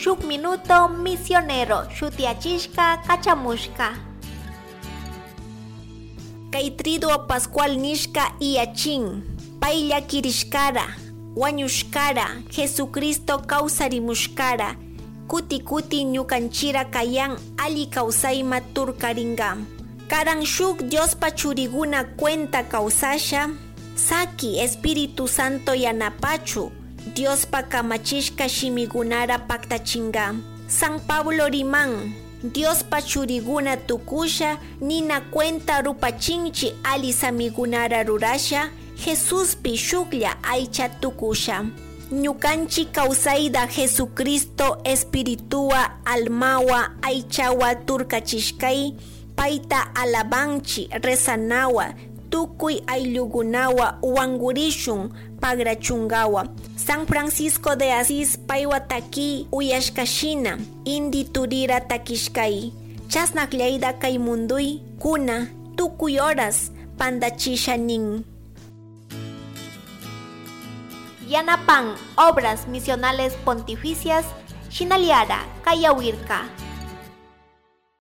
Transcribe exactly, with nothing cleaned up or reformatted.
Shuk Minuto Misionero shutiachishka kachamushka. Kay Triduo Pascual nishka iyachin, pay llakirishkara, wañushkara, Jesucristo kawsarimushkara, kuti kuti ñukanchira kayan alli kawsayma turkaringa. Karan shuk Diospa churiguna cuenta kawsasha, saki Espíritu Santo yanapachu, Diospa kamachishka shimigunara paktachinga. San Pablo riman, Diospa churiguna tukusha, nina cuenta rupachinchi alli samigunara rurasha, Jesuspi shuklla aycha tukusha. Ñukanchi kawsayda Jesucristo espirituwa almawa aychawa turkachishkay, payta alabanchi rezanawa, tukuy ayllukunawa wangurishun pagrachungawa. San Francisco de Asís paywa taki uyashkashina, indi turira takishkay. Chasnakllayda kay munduy kuna tukuy horas pandachisha nin. Yanapan Obras Misionales Pontificias, Shinaliara, Kayawirka.